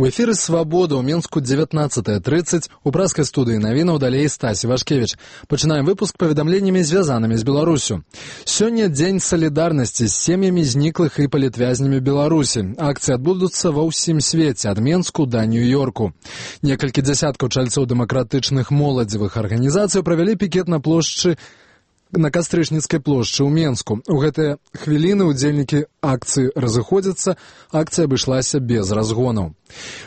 У эфіры «Свабода» ў Мінску 19:30. У праскай студыі навінаў далей Стасі Вашкевіч. Пачынаем выпуск паведамленнямі, звязанымі з Беларусю. Сёння дзень салідарнасці з сем'ямі зніклых і палітвязнямі Беларусі. Акцыі адбудуцца ва ўсім свеце, ад Менску да Нью-Йорку. Некалькі дзясяткаў чальцоў дэмакратычных моладзевых арганізацый правялі пікет на плошчы на Кастрычніцкай плошчы ў Менску. У гэтыя хвіліны удзельнікі акцыі разыходзяцца, акцыя абышлася без разгонаў.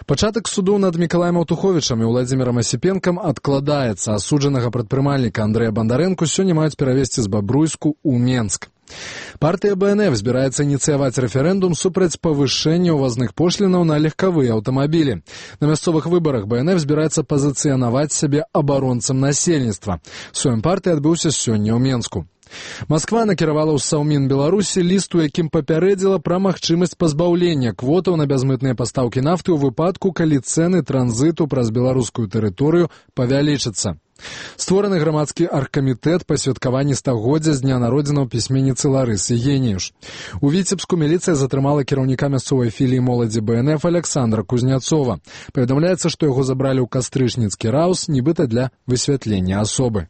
Пачатак суду над Мікалаем Аўтуховічам і Владзімірам Асіпенкам адкладаецца. Асуджанага прадпрымальніка Андрэя Бандарэнку сёння маюць перавезці з Бабруйску ў Менск. Партыя БНФ збіраецца ініцыяваць рэферэндум супраць павышэння ўвазных пошлінаў на легкавыя аўтамабілі. На мясцовых выбарах БНФ збіраецца пазіцыянаваць сябе абаронцам насельніцтва. Сойм партыі адбыўся сёння ў Менску. Масква накіравала ў Саўмін Беларусі ліст, у якім папярэдзіла пра магчымасць пазбаўлення квотаў на бязмытныя пастаўкі нафты ў выпадку, калі цэны транзіту праз беларускую тэрыторыю павялічацца. Створаны грамадскі аргкамітэт па святкаванні стагоддзя з дня народзінаў пісьменніцы Ларысы Геніюш. У Віцебску міліцыя затрымала кіраўніка мясцовай філіі моладзі БНФ Александра Кузняцова. Паведамляецца, што яго забралі ў Кастрычніцкі раус, нібыта для высвятлення асобы.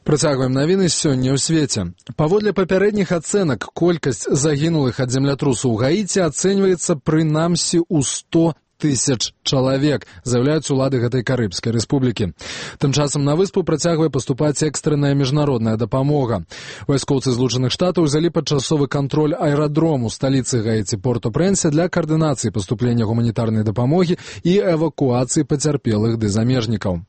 Працягваем навіны сёння ў свеце. Паводле папярэдніх ацэнак, колькасць загінулых ад землятрусу ў Гаіці ацэньваецца прынамсі ў 100 000 чалавек, заяўляюць улады гэтай карыбскай рэспублікі. Тым часам на выспу працягвае паступаць экстранная міжнародная дапамога. Вайскоўцы Злучаных Штатаў узялі падчасовы кантроль аэрадрому сталіцы Гаіці Порт-о-Прэнсе для каардынацыі паступлення гуманітарнай дапамогі і эвакуацыі пацярпелых ды замежнікаў.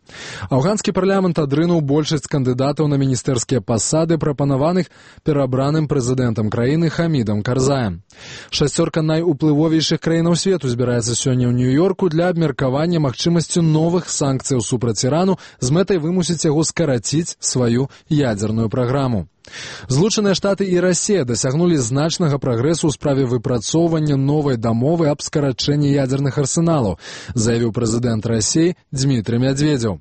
Афганскі парламент адрынуў большасць кандыдатаў на міністэрскія пасады, прапанаваных перабраным прэзідэнтам краіны Хамідам Карзаем. Шасцёрка найуплывовейшых краінаў свету збіраецца сёння ў Нью-Йорку для абмеркавання магчымасцю новых санкцыяў супраць Ірану з мэтай вымусіць яго скараціць сваю ядзерную праграму. Злучаныя Штаты і Расія дасягнулі значнага прагрэсу ў справе выпрацоўвання новай дамовы аб скарачэнні ядзерных арсеналаў, заявіў прэзідэнт Расіі Дзмітрый Мядзведзеў.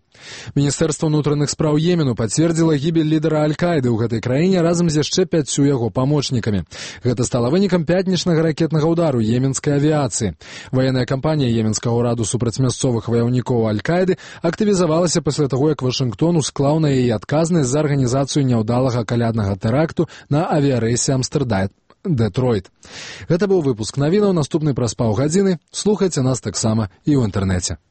Міністэрства ўнутраных спраў Йемену пацвердзіла гібель лідара Аль-Каіды ў гэтай краіне разам з яшчэ 5 яго памочнікамі. Гэта стала вынікам пятнічнага ракетнага ўдару йеменскай авіяцыі. Ваенная кампанія йеменскага ўраду супраць мясцовых ваяўнікоў Аль-Каіды актывізавалася пасля таго, як Вашынгтон усклаў на яе адказнасць за арганізацыю няўдалага каляднага тэракту на авіярэйсе Амстэрдам-Дэтройт. Гэта быў выпуск навінаў, наступны праз паўгадзіны. Слухайце нас таксама і ў інтэрнэце.